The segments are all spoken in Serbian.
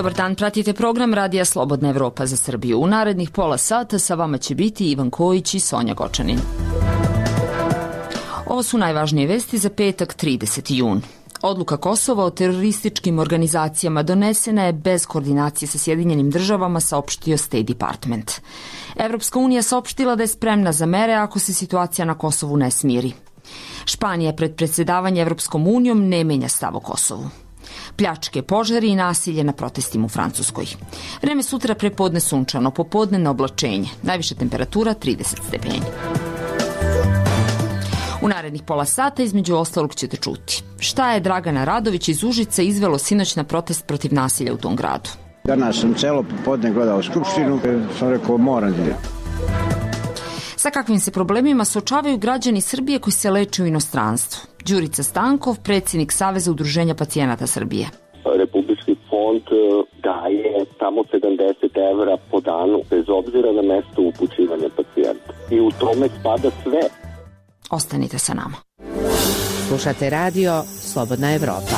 Dobar dan, pratite program Radija Slobodna Evropa za Srbiju. U narednih pola sata sa vama će biti Ivan Kojić i Sonja Gočanin. Ovo su najvažnije vesti za petak 30. jun. Odluka Kosova o terorističkim organizacijama donesena je bez koordinacije sa Sjedinjenim državama, saopštio State Department. Evropska unija saopštila da je spremna za mere ako se situacija na Kosovu ne smiri. Španija pred predsjedavanje Evropskom unijom ne menja stav o Kosovu. Pljačke, požari i nasilje na protestima u Francuskoj. Vreme sutra prepodne sunčano, popodne na oblačenje. Najviša temperatura 30 stepeni. U narednih pola sata između ostalog ćete čuti šta je Dragana Radović iz Užica izvelo sinoć na protest protiv nasilja u tom gradu. Danas sam celo popodne gledao Skupštinu, sam rekao moram da. Sa kakvim se problemima suočavaju građani Srbije koji se leče u inostranstvu? Đurica Stankov, predsjednik Saveza udruženja pacijenata Srbije. Republički fond daje samo 70 evra po danu, bez obzira na mesto upućivanja pacijenta. I u tome spada sve. Ostanite sa nama. Slušate radio Slobodna Evropa.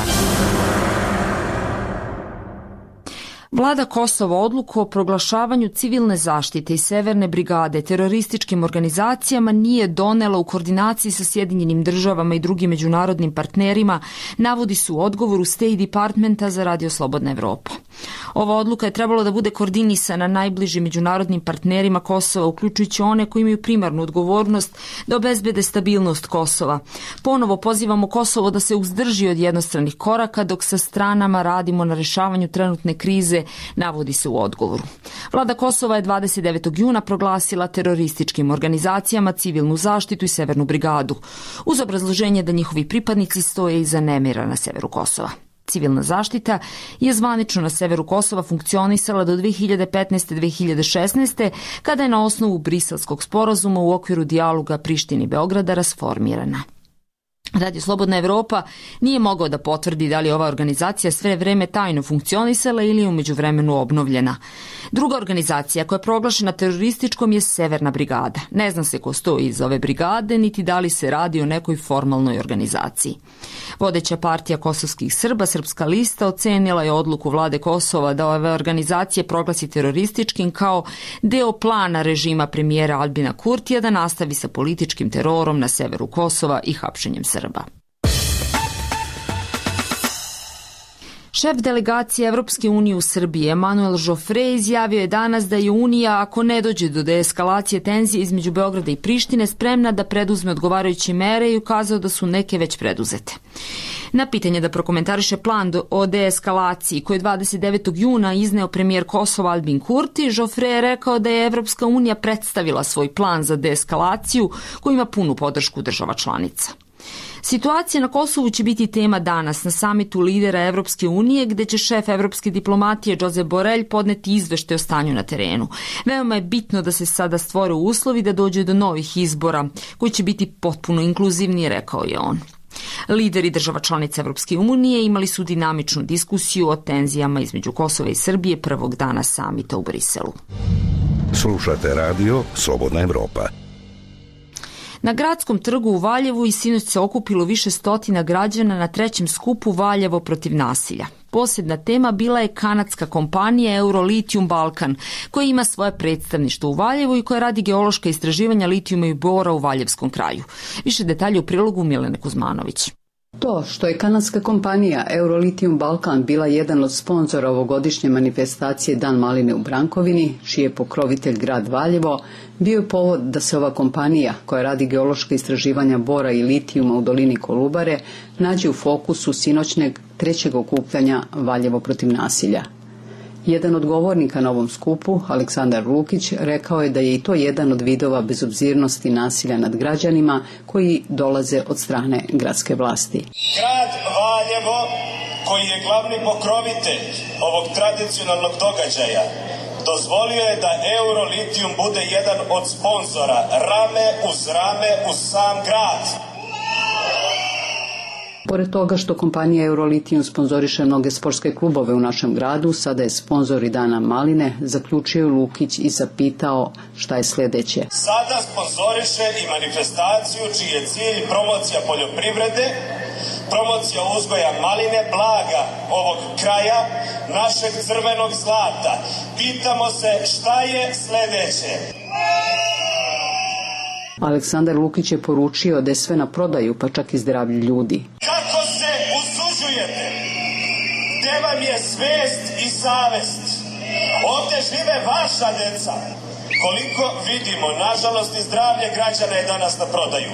Vlada Kosova odluku o proglašavanju civilne zaštite i Severne brigade terorističkim organizacijama nije donela u koordinaciji sa Sjedinjenim državama i drugim međunarodnim partnerima, navodi su u odgovoru State Departmenta za Radio Slobodna Evropa. Ova odluka je trebalo da bude koordinisana najbližim međunarodnim partnerima Kosova, uključujući one koji imaju primarnu odgovornost da obezbede stabilnost Kosova. Ponovo pozivamo Kosovo da se uzdrži od jednostranih koraka dok sa stranama radimo na rešavanju trenutne krize, navodi se u odgovoru. Vlada Kosova je 29. juna proglasila terorističkim organizacijama civilnu zaštitu i Severnu brigadu, uz obrazloženje da njihovi pripadnici stoje iza nemira na severu Kosova. Civilna zaštita je zvanično na severu Kosova funkcionisala do 2015-2016. kada je na osnovu Briselskog sporazuma u okviru dijaloga Prištine i Beograda rasformirana. Radio Slobodna Evropa nije mogao da potvrdi da li je ova organizacija sve vreme tajno funkcionisala ili je u međuvremenu obnovljena. Druga organizacija koja je proglašena terorističkom je Severna brigada. Ne zna se ko stoji iz ove brigade, niti da li se radi o nekoj formalnoj organizaciji. Vodeća partija kosovskih Srba, Srpska lista, ocenila je odluku vlade Kosova da ove organizacije proglasi terorističkim kao deo plana režima premijera Albina Kurtija da nastavi sa političkim terorom na severu Kosova i hapšenjem Srba. Šef delegacije Evropske unije u Srbiji, Emanuel Žofre, izjavio je danas da je Unija, ako ne dođe do deeskalacije tenzije između Beograda i Prištine, spremna da preduzme odgovarajuće mere i ukazao da su neke već preduzete. Na pitanje da prokomentariše plan o deeskalaciji koji je 29. juna izneo premijer Kosova Albin Kurti, Žofre je rekao da je Evropska unija predstavila svoj plan za deeskalaciju koji ima punu podršku država članica. Situacija na Kosovu će biti tema danas na samitu lidera Evropske unije, gde će šef evropske diplomatije Josep Borrell podneti izveštaj o stanju na terenu. Veoma je bitno da se sada stvore uslovi da dođe do novih izbora, koji će biti potpuno inkluzivni, rekao je on. Lideri država članica Evropske unije imali su dinamičnu diskusiju o tenzijama između Kosova i Srbije prvog dana samita u Briselu. Slušate radio Slobodna Evropa. Na Gradskom trgu u Valjevu i sinoć se okupilo više stotina građana na trećem skupu Valjevo protiv nasilja. Posebna tema bila je kanadska kompanija Eurolithium Balkan, koja ima svoje predstavništvo u Valjevu i koja radi geološka istraživanja litijuma i bora u Valjevskom kraju. Više detalje u prilogu Milene Kuzmanović. To što je kanadska kompanija Eurolithium Balkan bila jedan od sponzora ovogodišnje manifestacije Dan maline u Brankovini, čiji je pokrovitelj grad Valjevo, bio je povod da se ova kompanija, koja radi geološka istraživanja bora i litijuma u dolini Kolubare, nađe u fokusu sinoćnjeg trećeg okupljanja Valjevo protiv nasilja. Jedan od govornika na ovom skupu, Aleksandar Lukić, rekao je da je i to jedan od vidova bezobzirnosti nasilja nad građanima koji dolaze od strane gradske vlasti. Grad Valjevo, koji je glavni pokrovitelj ovog tradicionalnog događaja, dozvolio je da Eurolithium bude jedan od sponzora, rame uz sam grad. Pored toga što kompanija Eurolithium sponzoriše mnoge sportske klubove u našem gradu, sada je sponzor i Dana maline, zaključio Lukić i zapitao šta je sljedeće. Sada sponzoriše i manifestaciju čiji je cilj promocija poljoprivrede, promocija uzgoja maline, blaga ovog kraja, našeg crvenog zlata. Pitamo se šta je sledeće? Aleksandar Lukić je poručio da je sve na prodaju, pa čak i zdravlje ljudi. Kako se usuđujete? Gde vam je svest i savest? Ovde žive vaša deca. Koliko vidimo, nažalost i zdravlje građana je danas na prodaju.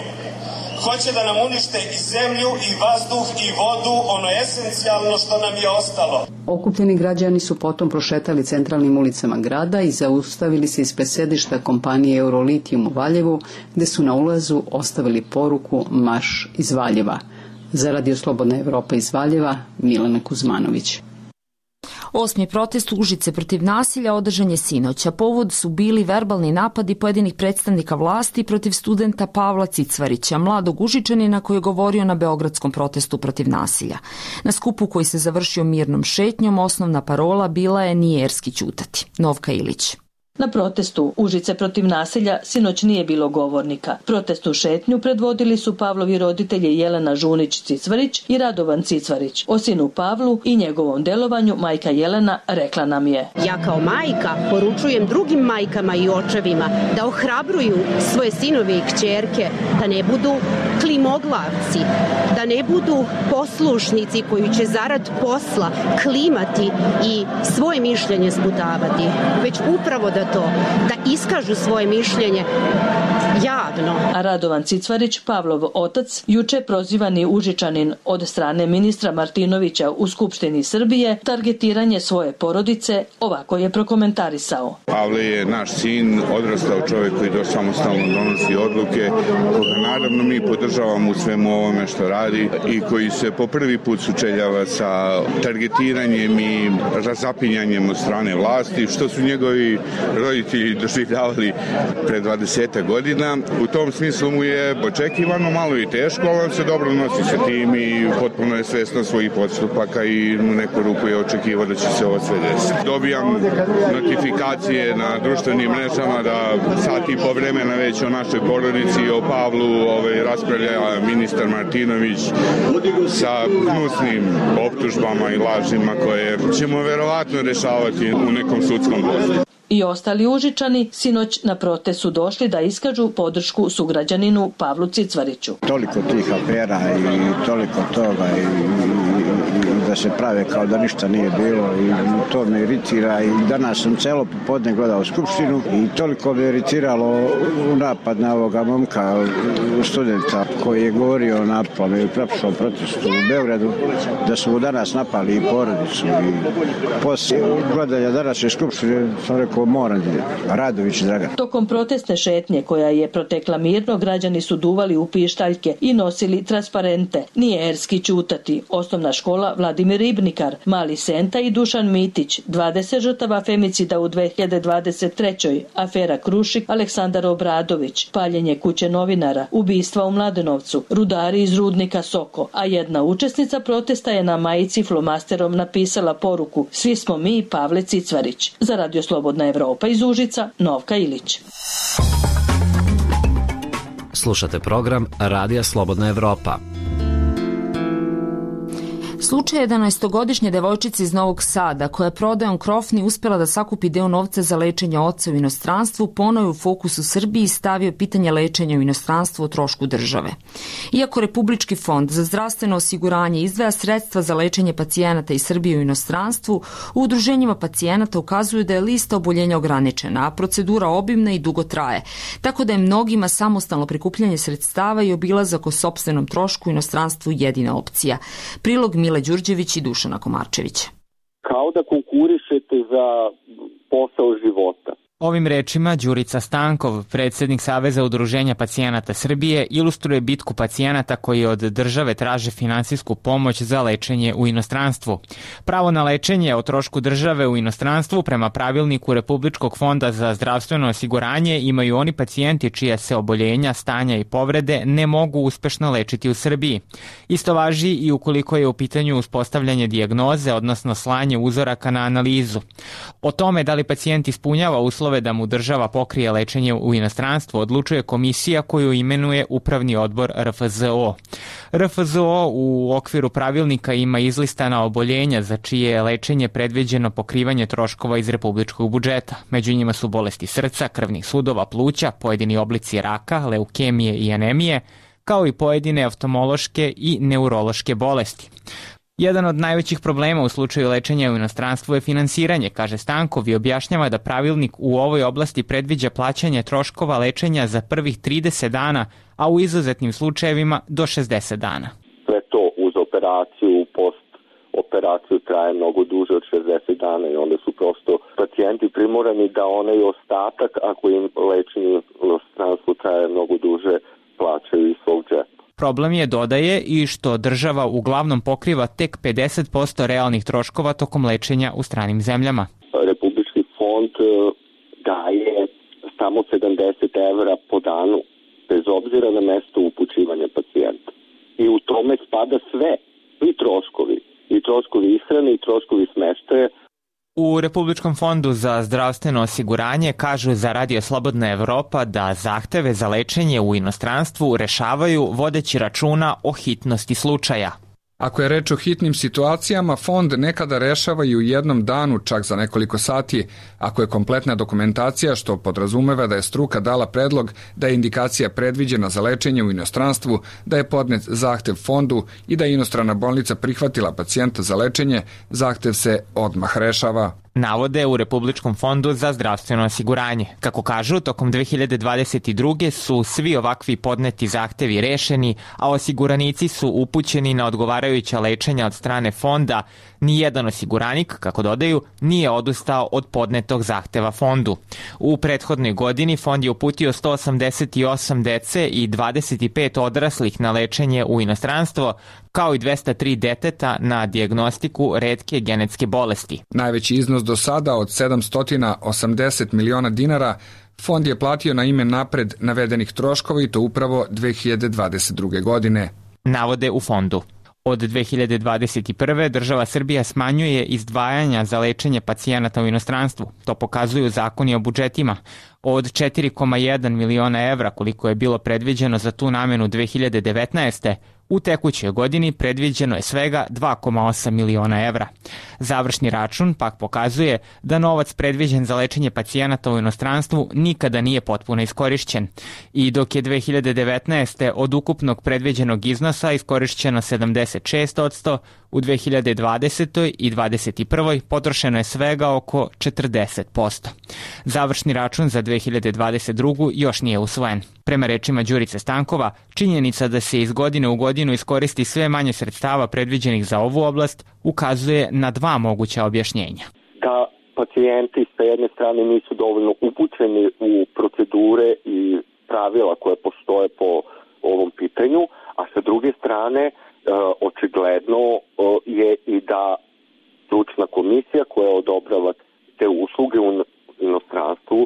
Hoće da nam unište i zemlju, i vazduh, i vodu, ono esencijalno što nam je ostalo. Okupljeni građani su potom prošetali centralnim ulicama grada i zaustavili se ispred sedišta kompanije Eurolitijum u Valjevu, gde su na ulazu ostavili poruku Marš iz Valjeva. Za Radio Slobodna Evropa iz Valjeva, Milena Kuzmanović. 8. protest Užice protiv nasilja održan je sinoć, a povod su bili verbalni napadi pojedinih predstavnika vlasti protiv studenta Pavla Cicvarića, mladog Užičanina koji je govorio na beogradskom protestu protiv nasilja. Na skupu koji se završio mirnom šetnjom, osnovna parola bila je "Nije erski ćutati". Novka Ilić. Na protestu Užice protiv nasilja sinoć nije bilo govornika. Protestnu šetnju predvodili su Pavlovi roditelji Jelena Žunić-Cicvarić i Radovan Cicvarić. O sinu Pavlu i njegovom delovanju majka Jelena rekla nam je: Ja kao majka poručujem drugim majkama i očevima da ohrabruju svoje sinove i kćerke, da ne budu klimoglavci, da ne budu poslušnici koji će zarad posla klimati i svoje mišljenje sputavati, već upravo da iskažu svoje mišljenje javno. A Radovan Cicvarić, Pavlov otac, juče prozivani Užičanin od strane ministra Martinovića u Skupštini Srbije, targetiranje svoje porodice, ovako je prokomentarisao. Pavle je naš sin, odrastao čovjek koji samostalno donosi odluke, koga naravno mi podržavamo u svemu ovome što radi i koji se po prvi put sučeljava sa targetiranjem i razapinjanjem od strane vlasti, što su njegovi roditelji doživljavali pre 20 godina. U tom smislu mu je očekivano, malo i teško, ali on se dobro nosi sa tim i potpuno je svestan svojih postupaka i u neku ruku je očekivao da će se ovo sve desiti. Dobijam notifikacije na društvenim mrežama da sat i po vremena već o našoj porodici i o Pavlu raspravlja ministar Martinović sa gnusnim optužbama i lažima koje ćemo verovatno rešavati u nekom sudskom postupku. I ostali Užičani sinoć na protest su došli da iskažu podršku sugrađaninu Pavlu Cicvariću. Toliko tih afera i toliko toga i da se prave kao da ništa nije bilo i to me iritira i danas sam celo popodne gledao Skupštinu i toliko me iritiralo u napad na ovoga momka studenta koji je govorio na pamet i prepošao protestu u Beogradu da su danas napali i porodicu i poslije gledanja današnje Skupštine sam rekao moram Radović Dragan. Tokom protestne šetnje koja je protekla mirno, građani su duvali u pištaljke i nosili transparente. Nije erski ćutati. Osnovna škola Vladimir Ribnikar, Mali Senta i Dušan Mitić, 20 žrtava femicida u 2023. Afera Krušik, Aleksandar Obradović, paljenje kuće novinara, ubistva u Mladenovcu, rudari iz rudnika Soko, a jedna učesnica protesta je na majici flomasterom napisala poruku: Svi smo mi Pavle Cicvarić. Za Radio Slobodna Evropa iz Užica, Novka Ilić. Slušate program Radija Slobodna Evropa. Slučaj 11-godišnje devojčice iz Novog Sada, koja je prodajom krofni uspjela da sakupi deo novca za lečenje oca u inostranstvu, ponovo je u fokusu Srbiji stavio pitanje lečenja u inostranstvu o trošku države. Iako Republički fond za zdravstveno osiguranje izdvaja sredstva za lečenje pacijenata iz Srbije u inostranstvu, u udruženjima pacijenata ukazuju da je lista oboljenja ograničena, a procedura obimna i dugo traje, tako da je mnogima samostalno prikupljanje sredstava i obilazak o sopstvenom trošku u inostranstvu jedina opcija. Prilog Mile Đurđević i Dušana Komarčevića. Kao da konkurišete za posao života. Ovim rečima Đurica Stankov, predsjednik Saveza udruženja pacijenata Srbije, ilustruje bitku pacijenata koji od države traže finansijsku pomoć za lečenje u inostranstvu. Pravo na lečenje o trošku države u inostranstvu prema pravilniku Republičkog fonda za zdravstveno osiguranje imaju oni pacijenti čija se oboljenja, stanja i povrede ne mogu uspešno lečiti u Srbiji. Isto važi i ukoliko je u pitanju uspostavljanje dijagnoze, odnosno slanje uzoraka na analizu. O tome da li pacijent ispunjava uslove uslove da mu država pokrije lečenje u inostranstvu odlučuje komisija koju imenuje Upravni odbor RFZO. RFZO u okviru pravilnika ima izlistana oboljenja za čije je lečenje predviđeno pokrivanje troškova iz republičkog budžeta. Među njima su bolesti srca, krvnih sudova, pluća, pojedini oblici raka, leukemije i anemije, kao i pojedine oftalmološke i neurološke bolesti. Jedan od najvećih problema u slučaju lečenja u inostranstvu je finansiranje, kaže Stankov i objašnjava da pravilnik u ovoj oblasti predviđa plaćanje troškova lečenja za prvih 30 dana, a u izuzetnim slučajevima do 60 dana. Sve to uz operaciju, post-operaciju traje mnogo duže od 60 dana i onda su prosto pacijenti primorani da onaj ostatak, ako im lečenje u inostranstvu traje mnogo duže, plaćaju iz svog džepa. Problem je, dodaje, i što država uglavnom pokriva tek 50% realnih troškova tokom lečenja u stranim zemljama. Republički fond daje samo 70 evra po danu, bez obzira na mesto upućivanja pacijenta. I u tome spada sve, i troškovi ishrane, i troškovi smeštaja. U Republičkom fondu za zdravstveno osiguranje kažu za Radio Slobodna Evropa da zahteve za lečenje u inostranstvu rešavaju vodeći računa o hitnosti slučaja. Ako je reč o hitnim situacijama, fond nekada rešava i u jednom danu, čak za nekoliko sati, ako je kompletna dokumentacija, što podrazumeva da je struka dala predlog da je indikacija predviđena za lečenje u inostranstvu, da je podnet zahtev fondu i da je inostrana bolnica prihvatila pacijenta za lečenje, zahtev se odmah rešava. Navode u Republičkom fondu za zdravstveno osiguranje. Kako kažu, tokom 2022. su svi ovakvi podneti zahtevi rešeni, a osiguranici su upućeni na odgovarajuća lečenja od strane fonda. Nijedan osiguranik, kako dodaju, nije odustao od podnetog zahteva fondu. U prethodnoj godini fond je uputio 188 dece i 25 odraslih na lečenje u inostranstvo, kao i 203 deteta na dijagnostiku retke genetske bolesti. Najveći iznos do sada od 780 miliona dinara fond je platio na ime napred navedenih troškova i to upravo 2022. godine. Navode u fondu. Od 2021. država Srbija smanjuje izdvajanja za lečenje pacijenata u inostranstvu. To pokazuju zakoni o budžetima. Od 4,1 miliona evra koliko je bilo predviđeno za tu namenu 2019. u tekućoj godini predviđeno je svega 2,8 miliona evra. Završni račun pak pokazuje da novac predviđen za lečenje pacijenata u inostranstvu nikada nije potpuno iskorišćen. I dok je 2019. od ukupnog predviđenog iznosa iskorišćeno 76%, u 2020. i 2021. potrošeno je svega oko 40%. Završni račun za 2022. još nije usvojen. Prema rečima Đurice Stankova, činjenica da se iz godine u godinu iskoristi sve manje sredstava predviđenih za ovu oblast ukazuje na dva moguća objašnjenja. Da pacijenti sa jedne strane nisu dovoljno upućeni u procedure i pravila koje postoje po ovom pitanju, a sa druge strane očigledno je i da stručna komisija koja odobrava te usluge u inostranstvu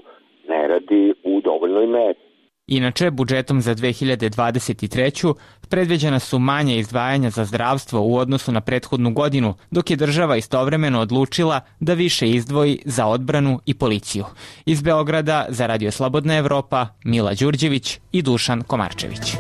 ne radi u dovoljnoj meri. Inače, budžetom za 2023. predviđena su manje izdvajanja za zdravstvo u odnosu na prethodnu godinu, dok je država istovremeno odlučila da više izdvoji za odbranu i policiju. Iz Beograda za Radio Slobodna Evropa, Mila Đurđević i Dušan Komarčević.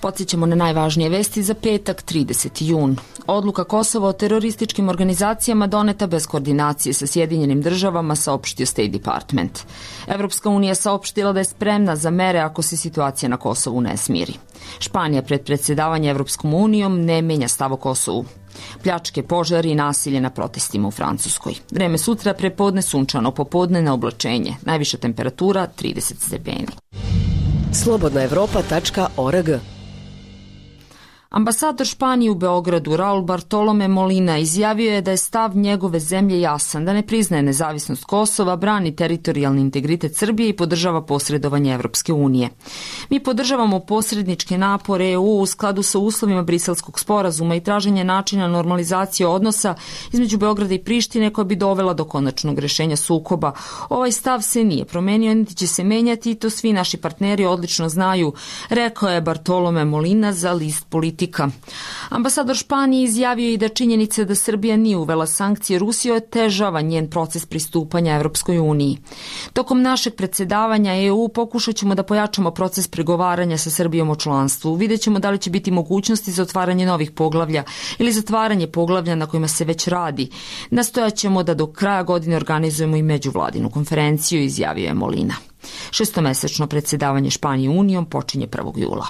Podsjećamo na najvažnije vesti za petak, 30. jun. Odluka Kosova o terorističkim organizacijama doneta bez koordinacije sa Sjedinjenim državama, saopštio State Department. Evropska unija saopštila da je spremna za mere ako se situacija na Kosovu ne smiri. Španija pred predsjedavanje Evropskom unijom ne menja stav o Kosovu. Pljačke, požari i nasilje na protestima u Francuskoj. Vreme sutra prepodne sunčano, popodne na oblačenje. Najviša temperatura 30 stepeni. Slobodnaevropa.org. Ambasador Španije u Beogradu Raul Bartolome Molina izjavio je da je stav njegove zemlje jasan, da ne priznaje nezavisnost Kosova, brani teritorijalni integritet Srbije i podržava posredovanje Evropske unije. Mi podržavamo posredničke napore EU u skladu sa uslovima Briselskog sporazuma i traženje načina normalizacije odnosa između Beograda i Prištine koja bi dovela do konačnog rešenja sukoba. Ovaj stav se nije promenio, niti će se menjati i to svi naši partneri odlično znaju, rekao je Bartolome Molina za list Politico politika. Ambasador Španije izjavio i da činjenica da Srbija nije uvela sankcije Rusiji otežava njen proces pristupanja Evropskoj uniji. Tokom našeg predsjedavanja EU pokušat ćemo da pojačamo proces pregovaranja sa Srbijom o članstvu. Vidjet ćemo da li će biti mogućnosti za otvaranje novih poglavlja ili zatvaranje poglavlja na kojima se već radi. Nastojat ćemo da do kraja godine organizujemo i međuvladinu konferenciju, izjavio je Molina. Šestomesečno predsjedavanje Španije Unijom počinje 1. jula.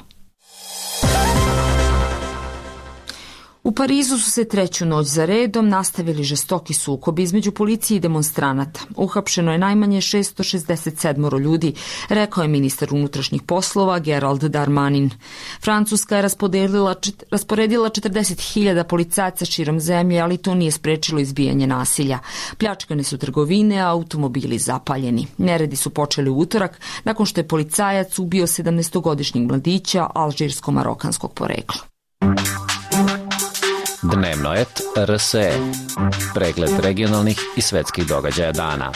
U Parizu su se treću noć za redom nastavili žestoki sukobi između policije i demonstranata. Uhapšeno je najmanje 667 ljudi, rekao je ministar unutrašnjih poslova Gerald Darmanin. Francuska je rasporedila 40.000 policajaca širom zemlje, ali to nije sprečilo izbijanje nasilja. Pljačkane su trgovine, a automobili zapaljeni. Neredi su počeli u utorak, nakon što je policajac ubio 17-godišnjeg mladića alžirsko-marokanskog porekla. Dnevno et RSE. Pregled regionalnih i svetskih događaja dana.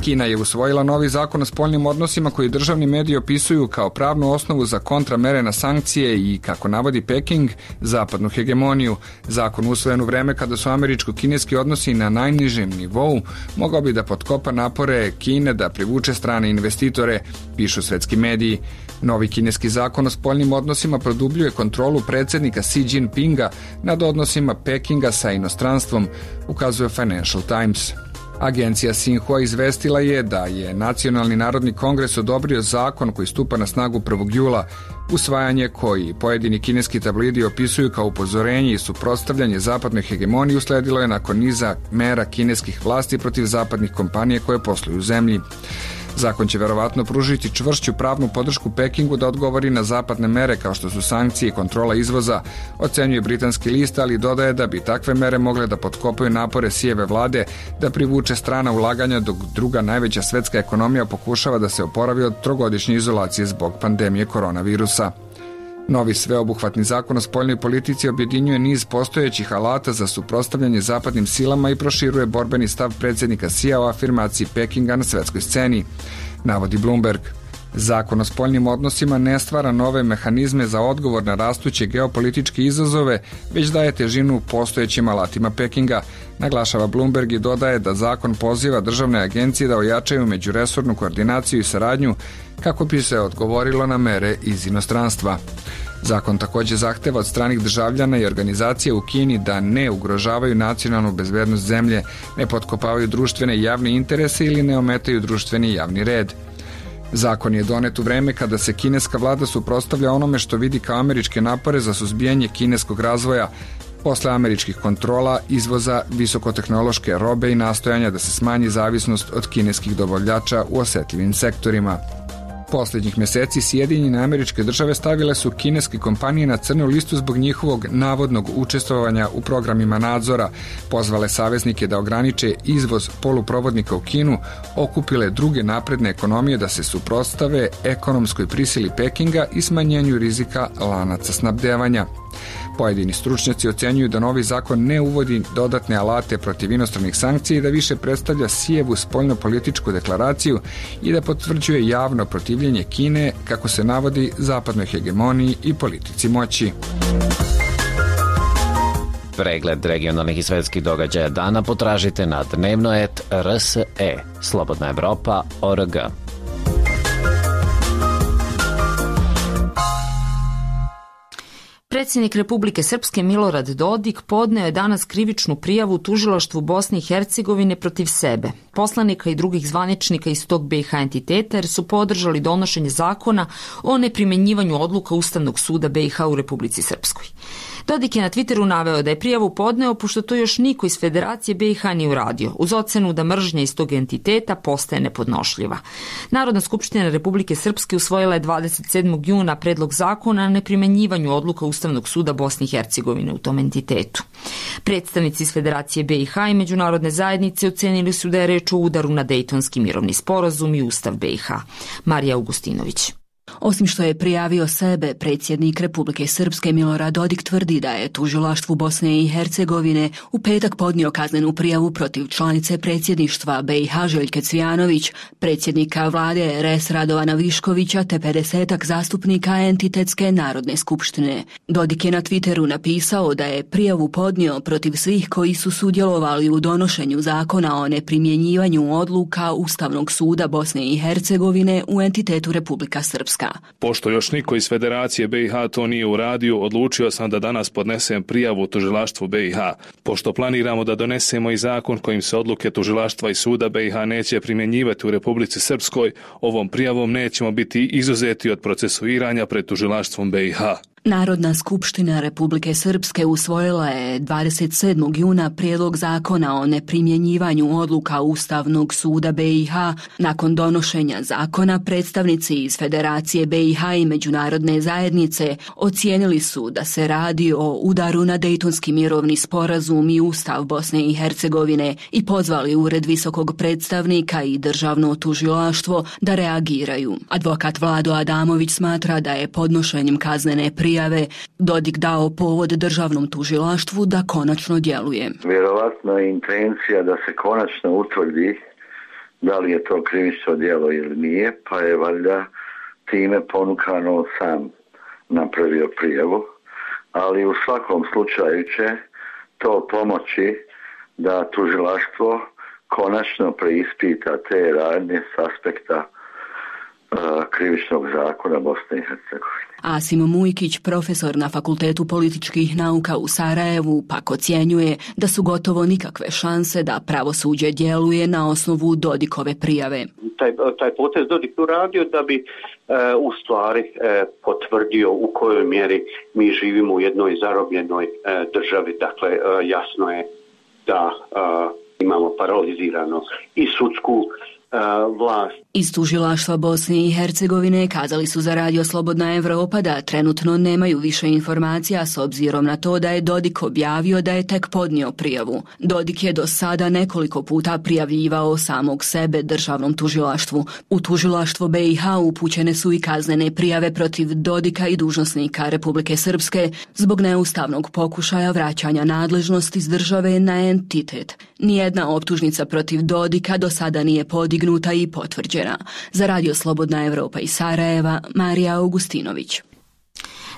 Kina je usvojila novi zakon o spoljnim odnosima koji državni mediji opisuju kao pravnu osnovu za kontramere na sankcije i, kako navodi Peking, zapadnu hegemoniju. Zakon usvojen u vreme kada su američko-kineski odnosi na najnižem nivou mogao bi da potkopa napore Kine da privuče strane investitore, pišu svetski mediji. Novi kineski zakon o spoljnim odnosima produbljuje kontrolu predsjednika Xi Jinpinga nad odnosima Pekinga sa inostranstvom, ukazuje Financial Times. Agencija Xinhua izvestila je da je Nacionalni narodni kongres odobrio zakon koji stupa na snagu 1. jula, usvajanje koji pojedini kineski tablidi opisuju kao upozorenje i suprotstavljanje zapadnoj hegemoniji usledilo je nakon niza mera kineskih vlasti protiv zapadnih kompanija koje posluju u zemlji. Zakon će verovatno pružiti čvršću pravnu podršku Pekingu da odgovori na zapadne mere kao što su sankcije i kontrola izvoza, ocenjuje britanski list, ali dodaje da bi takve mere mogle da potkopaju napore Xijeve vlade da privuče strana ulaganja, dok druga najveća svetska ekonomija pokušava da se oporavi od trogodišnje izolacije zbog pandemije koronavirusa. Novi sveobuhvatni zakon o spoljnoj politici objedinjuje niz postojećih alata za suprotstavljanje zapadnim silama i proširuje borbeni stav predsjednika Xija o afirmaciji Pekinga na svetskoj sceni, navodi Bloomberg. Zakon o spoljnim odnosima ne stvara nove mehanizme za odgovor na rastuće geopolitičke izazove, već daje težinu postojećim alatima Pekinga, naglašava Bloomberg i dodaje da zakon poziva državne agencije da ojačaju međuresornu koordinaciju i saradnju kako bi se odgovorilo na mere iz inostranstva. Zakon također zahteva od stranih državljana i organizacija u Kini da ne ugrožavaju nacionalnu bezbednost zemlje, ne potkopavaju društvene i javne interese ili ne ometaju društveni i javni red. Zakon je donet u vreme kada se kineska vlada suprotstavlja onome što vidi kao američke napore za suzbijanje kineskog razvoja, posle američkih kontrola, izvoza visokotehnološke robe i nastojanja da se smanji zavisnost od kineskih dobavljača u osetljivim sektorima. Posljednjih mjeseci Sjedinjene Američke Države stavile su kineske kompanije na crnu listu zbog njihovog navodnog učestvovanja u programima nadzora, pozvale saveznike da ograniče izvoz poluprovodnika u Kinu, okupile druge napredne ekonomije da se suprotstave ekonomskoj prisili Pekinga i smanjenju rizika lanaca snabdevanja. Pojedini stručnjaci ocenjuju da novi zakon ne uvodi dodatne alate protiv inostranih sankcija i da više predstavlja Xijevu spoljnopolitičku deklaraciju i da potvrđuje javno protivljenje Kine, kako se navodi, zapadnoj hegemoniji i politici moći. Pregled regionalnih i svetskih događaja dana potražite na dnevno.rs.e, Slobodna Evropa.org. Predsjednik Republike Srpske Milorad Dodik podneo je danas krivičnu prijavu u tužilaštvu Bosne i Hercegovine protiv sebe, poslanika i drugih zvaničnika iz tog BiH entiteta, jer su podržali donošenje zakona o neprimjenjivanju odluka Ustavnog suda BiH u Republici Srpskoj. Dodik je na Twitteru naveo da je prijavu podneo pošto to još niko iz Federacije BiH nije uradio, uz ocenu da mržnja iz tog entiteta postaje nepodnošljiva. Narodna skupština Republike Srpske usvojila je 27. juna predlog zakona o neprimjenjivanju odluka Ustavnog suda Bosne i Hercegovine u tom entitetu. Predstavnici iz Federacije BiH i međunarodne zajednice ocenili su da je reč o udaru na Dejtonski mirovni sporazum i Ustav BiH. Marija Augustinović. Osim što je prijavio sebe, predsjednik Republike Srpske Milorad Dodik tvrdi da je tužilaštvu Bosne i Hercegovine u petak podnio kaznenu prijavu protiv članice predsjedništva BiH Željke Cvijanović, predsjednika vlade RS Radovana Viškovića te 50-ak zastupnika Entitetske narodne skupštine. Dodik je na Twitteru napisao da je prijavu podnio protiv svih koji su sudjelovali u donošenju zakona o neprimjenjivanju odluka Ustavnog suda Bosne i Hercegovine u entitetu Republika Srpska. Pošto još niko iz Federacije BiH to nije uradio, odlučio sam da danas podnesem prijavu tužilaštvu BiH. Pošto planiramo da donesemo i zakon kojim se odluke tužilaštva i suda BiH neće primjenjivati u Republici Srpskoj, ovom prijavom nećemo biti izuzeti od procesuiranja pred tužilaštvom BiH. Narodna skupština Republike Srpske usvojila je 27. juna prijedlog zakona o neprimjenjivanju odluka Ustavnog suda BiH. Nakon donošenja zakona, predstavnici iz Federacije BiH i međunarodne zajednice ocijenili su da se radi o udaru na Dejtonski mirovni sporazum i Ustav Bosne i Hercegovine i pozvali Ured visokog predstavnika i državno tužilaštvo da reagiraju. Advokat Vlado Adamović smatra da je podnošenjem kaznene prijave Dodik dao povod državnom tužilaštvu da konačno djeluje. Vjerovatno je intencija da se konačno utvrdi da li je to krivično djelo ili nije, pa je valjda time ponukano sam napravio prijavu, ali u svakom slučaju će to pomoći da tužilaštvo konačno preispita te radnje s aspekta krivičnog zakona Bosne i Hercegovine. Asim Mujkić, profesor na Fakultetu političkih nauka u Sarajevu, pak ocjenjuje da su gotovo nikakve šanse da pravosuđe djeluje na osnovu Dodikove prijave. Taj potez Dodik uradio da bi u stvari potvrdio u kojoj mjeri mi živimo u jednoj zarobljenoj državi. Dakle, jasno je da imamo paralizirano i sudsku vlast. Iz tužilaštva Bosne i Hercegovine kazali su za Radio Slobodna Evropa da trenutno nemaju više informacija s obzirom na to da je Dodik objavio da je tek podnio prijavu. Dodik je do sada nekoliko puta prijavljivao samog sebe državnom tužilaštvu. U tužilaštvo BiH upućene su i kaznene prijave protiv Dodika i dužnosnika Republike Srpske zbog neustavnog pokušaja vraćanja nadležnosti iz države na entitet. Nijedna optužnica protiv Dodika do sada nije podignuta i potvrđena. Za Radio Slobodna Evropa iz Sarajeva, Marija Augustinović.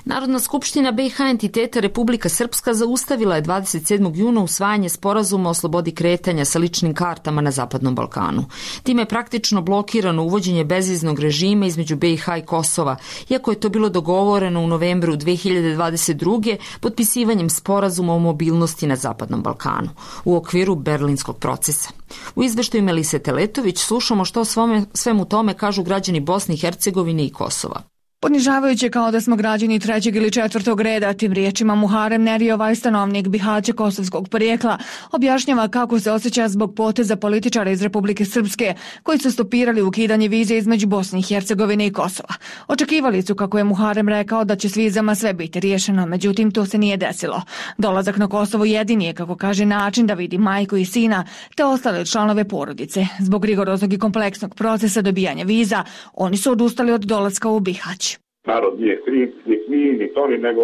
Narodna skupština BiH entiteta Republika Srpska zaustavila je 27. juna usvajanje sporazuma o slobodi kretanja sa ličnim kartama na Zapadnom Balkanu. Time je praktično blokirano uvođenje bezviznog režima između BiH i Kosova, iako je to bilo dogovoreno u novembru 2022. potpisivanjem sporazuma o mobilnosti na Zapadnom Balkanu u okviru berlinskog procesa. U izveštaju Melise Teletović slušamo što svemu tome kažu građani Bosne i Hercegovine i Kosova. Ponižavajuće kao da smo građani trećeg ili četvrtog reda, tim riječima Muharem Neriova, stanovnik Bihaća kosovskog porijekla, objašnjava kako se osjeća zbog poteza političara iz Republike Srpske koji su stopirali ukidanje vize između Bosne i Hercegovine i Kosova. Očekivali su, kako je Muharem rekao, da će s vizama sve biti riješeno, međutim to se nije desilo. Dolazak na Kosovo jedini je, kako kaže, način da vidi majku i sina te ostale članove porodice. Zbog rigoroznog i kompleksnog procesa dobijanja viza, oni su odustali od dolaska u Bihać. Narod nije kriv, ni oni, nego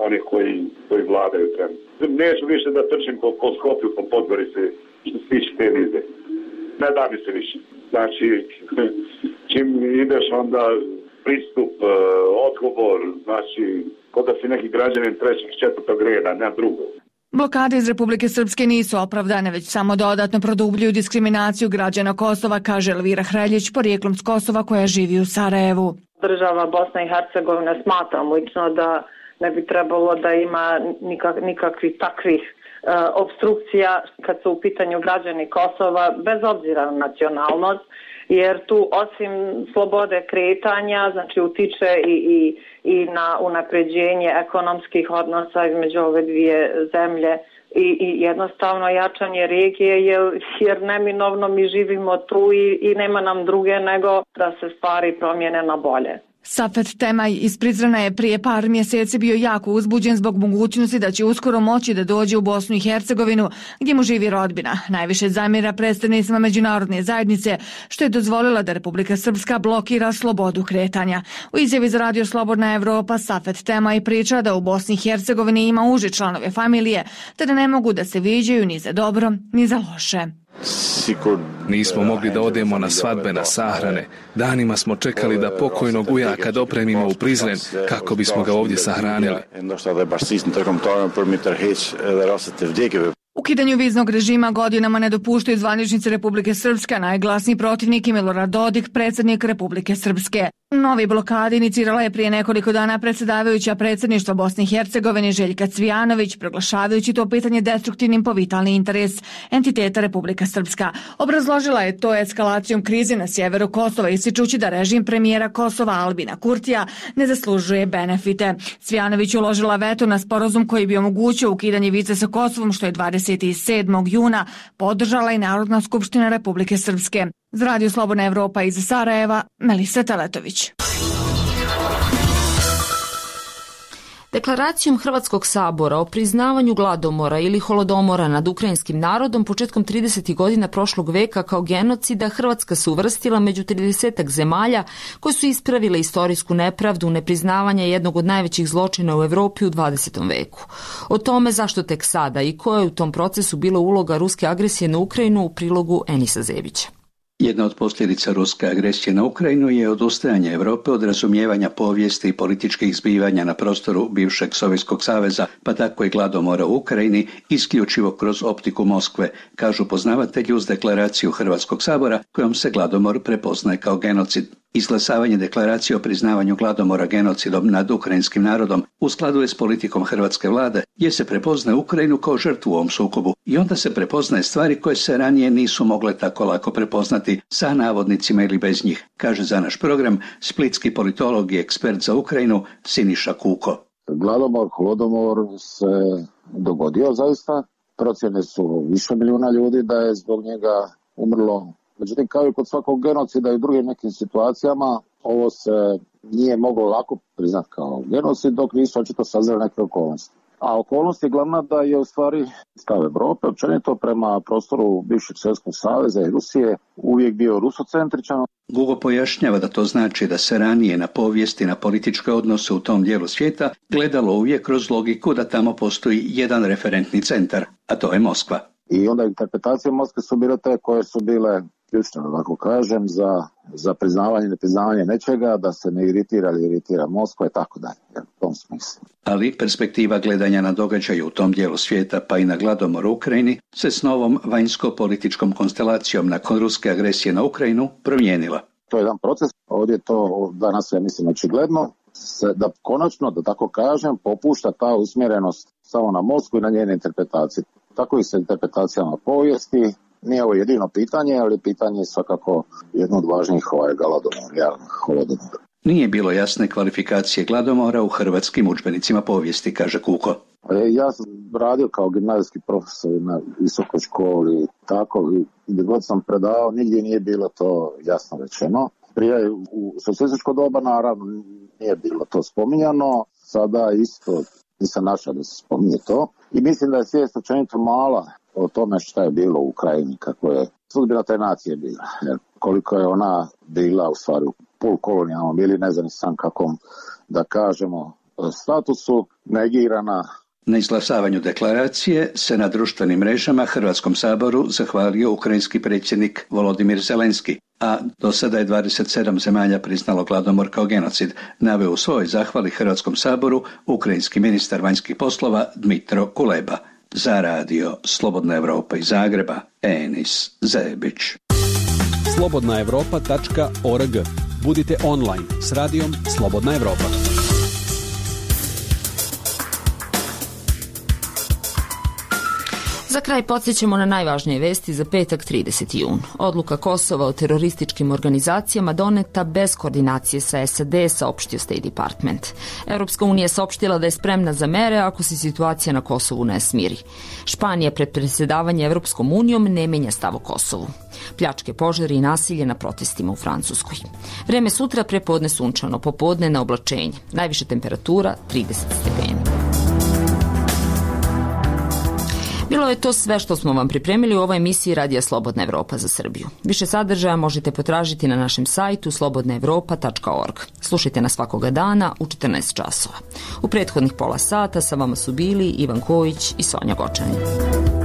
oni koji vladaju trenutno. Neću više da trčim po Skopju, po Podgorici, što se tiče te vize. Ne da mi se više. Znači, čim ideš onda pristup, odgovor, znači, kod da si neki građanin trećeg, četvrtog reda, ne drugog. Blokade iz Republike Srpske nisu opravdane, već samo dodatno produbljuju diskriminaciju građana Kosova, kaže Elvira Hreljić, porijeklom s Kosova koja živi u Sarajevu. Država Bosna i Hercegovina smatram lično da ne bi trebalo da ima nikakvih takvih obstrukcija kad su u pitanju građani Kosova, bez obzira na nacionalnost, jer tu osim slobode kretanja, znači utiče i na unapređenje ekonomskih odnosa između ove dvije zemlje i jednostavno jačanje regije, jer neminovno mi živimo tu i nema nam druge nego da se stvari promijene na bolje. Safet Temaj iz Prizrena je prije par mjeseci bio jako uzbuđen zbog mogućnosti da će uskoro moći da dođe u Bosnu i Hercegovinu, gdje mu živi rodbina. Najviše zamjera predstavnicima međunarodne zajednice, što je dozvolila da Republika Srpska blokira slobodu kretanja. U izjavi za Radio Slobodna Evropa Safet Temaj priča da u Bosni i Hercegovini ima uže članove familije, te da ne mogu da se viđaju ni za dobro, ni za loše. Nismo mogli da odemo na svadbe, na sahrane. Danima smo čekali da pokojnog ujaka dopremimo u Prizren kako bismo ga ovdje sahranili. Ukidanju viznog režima godinama ne dopuštaju zvaničnici Republike Srpske, najglasniji protivnik je Milorad Dodik, predsjednik Republike Srpske. Novi blokadi inicirala je prije nekoliko dana predsjedavajuća predsjedništva Bosne i Hercegovine Željka Cvijanović, proglašavajući to pitanje destruktivnim po vitalni interes entiteta Republika Srpska. Obrazložila je to eskalacijom krize na sjeveru Kosova, ističući da režim premijera Kosova Albina Kurtija ne zaslužuje benefite. Cvijanović uložila veto na sporazum koji bi omogućio ukidanje vize sa Kosovom, što je 27. juna podržala i Narodna skupština Republike Srpske. Za Radio Slobodna Evropa iz Sarajeva, Melisa Teletović. Deklaracijom Hrvatskog sabora o priznavanju gladomora ili holodomora nad ukrajinskim narodom početkom 30. godina prošlog veka kao genocida Hrvatska se uvrstila među 30 zemalja koje su ispravile istorijsku nepravdu nepriznavanja jednog od najvećih zločina u Evropi u 20. veku. O tome zašto tek sada i koja je u tom procesu bila uloga ruske agresije na Ukrajinu u prilogu Enisa Zebića. Jedna od posljedica ruske agresije na Ukrajinu je odustajanje Europe od razumijevanja povijesti i političkih zbivanja na prostoru bivšeg Sovjetskog saveza, pa tako i gladomora u Ukrajini, isključivo kroz optiku Moskve, kažu poznavatelji uz deklaraciju Hrvatskog sabora kojom se gladomor prepoznaje kao genocid. Izglasavanje deklaracije o priznavanju gladomora genocidom nad ukrajinskim narodom u skladu je s politikom hrvatske vlade, gdje se prepoznaje Ukrajinu kao žrtvu u ovom sukobu i onda se prepoznaje stvari koje se ranije nisu mogle tako lako prepoznati sa navodnicima ili bez njih, kaže za naš program splitski politolog i ekspert za Ukrajinu Siniša Kuko. Gladomor, holodomor se dogodio zaista. Procjene su više milijuna ljudi da je zbog njega umrlo. Međutim, kao i kod svakog genocida i u drugim nekim situacijama, ovo se nije moglo lako priznati kao genocid dok nisu očito sazrele neke okolnosti. A okolnost je glavna da je u stvari stav Evrope općenito prema prostoru bivšeg Sovjetskog saveza i Rusije uvijek bio rusocentričan. Gugo pojašnjava da to znači da se ranije na povijesti, na političke odnose u tom dijelu svijeta gledalo uvijek kroz logiku da tamo postoji jedan referentni centar, a to je Moskva. I onda interpretacije Moskve su bile te koje su bile ključne, tako kažem, za priznavanje i nepriznavanje nečega, da se ne iritira ili iritira Moskva i tako dalje, u tom smislu. Ali perspektiva gledanja na događaju u tom dijelu svijeta, pa i na gladomor u Ukrajini, se s novom vanjsko-političkom konstelacijom nakon ruske agresije na Ukrajinu promijenila. To je jedan proces, ovdje to danas ja mislim očigledno, da konačno, da tako kažem, popušta ta usmjerenost samo na Moskvu i na njene interpretacije. Tako i sa interpretacijama povijesti. Nije ovo jedino pitanje, ali pitanje je svakako jedno od važnijih holodomora. Nije bilo jasne kvalifikacije gladomora u hrvatskim udžbenicima povijesti, kaže Kuko. Ja sam radio kao gimnazijski profesor na visokoj školi, tako, gdje god sam predavao, nigdje nije bilo to jasno rečeno. Prije u socijalističko doba naravno nije bilo to spominjano, sada isto nisam našao da se spominje to. I mislim da je svijest općenito mala o tome šta je bilo u Ukrajini, kako je sudbina te nacije bila. Koliko je ona bila u stvari u polukolonijalnom ili ne znam sam kakvom, da kažemo, statusu negirana. Na izglasavanju deklaracije se na društvenim mrežama Hrvatskom saboru zahvalio ukrajinski predsjednik Volodimir Zelenski, a do sada je 27 zemalja priznalo gladomor kao genocid, naveo u svojoj zahvali Hrvatskom saboru ukrajinski ministar vanjskih poslova Dmitro Kuleba. Za Radio Slobodna Evropa iz Zagreba, Enis Zebić. slobodnaevropa.org. Budite online s radijom Slobodna Evropa. Za kraj podsjećamo na najvažnije vesti za petak 30. jun. Odluka Kosova o terorističkim organizacijama doneta bez koordinacije sa SAD, saopštio State Department. Europska unija saopštila da je spremna za mere ako se situacija na Kosovu ne smiri. Španija pred predsjedavanje Europskom unijom ne menja stav o Kosovu. Pljačke, požari i nasilje na protestima u Francuskoj. Vreme sutra prepodne sunčano, popodne na oblačenje. Najviša temperatura 30 stepeni. Bilo je to sve što smo vam pripremili u ovoj emisiji Radija Slobodna Evropa za Srbiju. Više sadržaja možete potražiti na našem sajtu slobodnaevropa.org. Slušajte nas svakoga dana u 14 časova. U prethodnih pola sata sa vama su bili Ivan Kojić i Sonja Gočanin.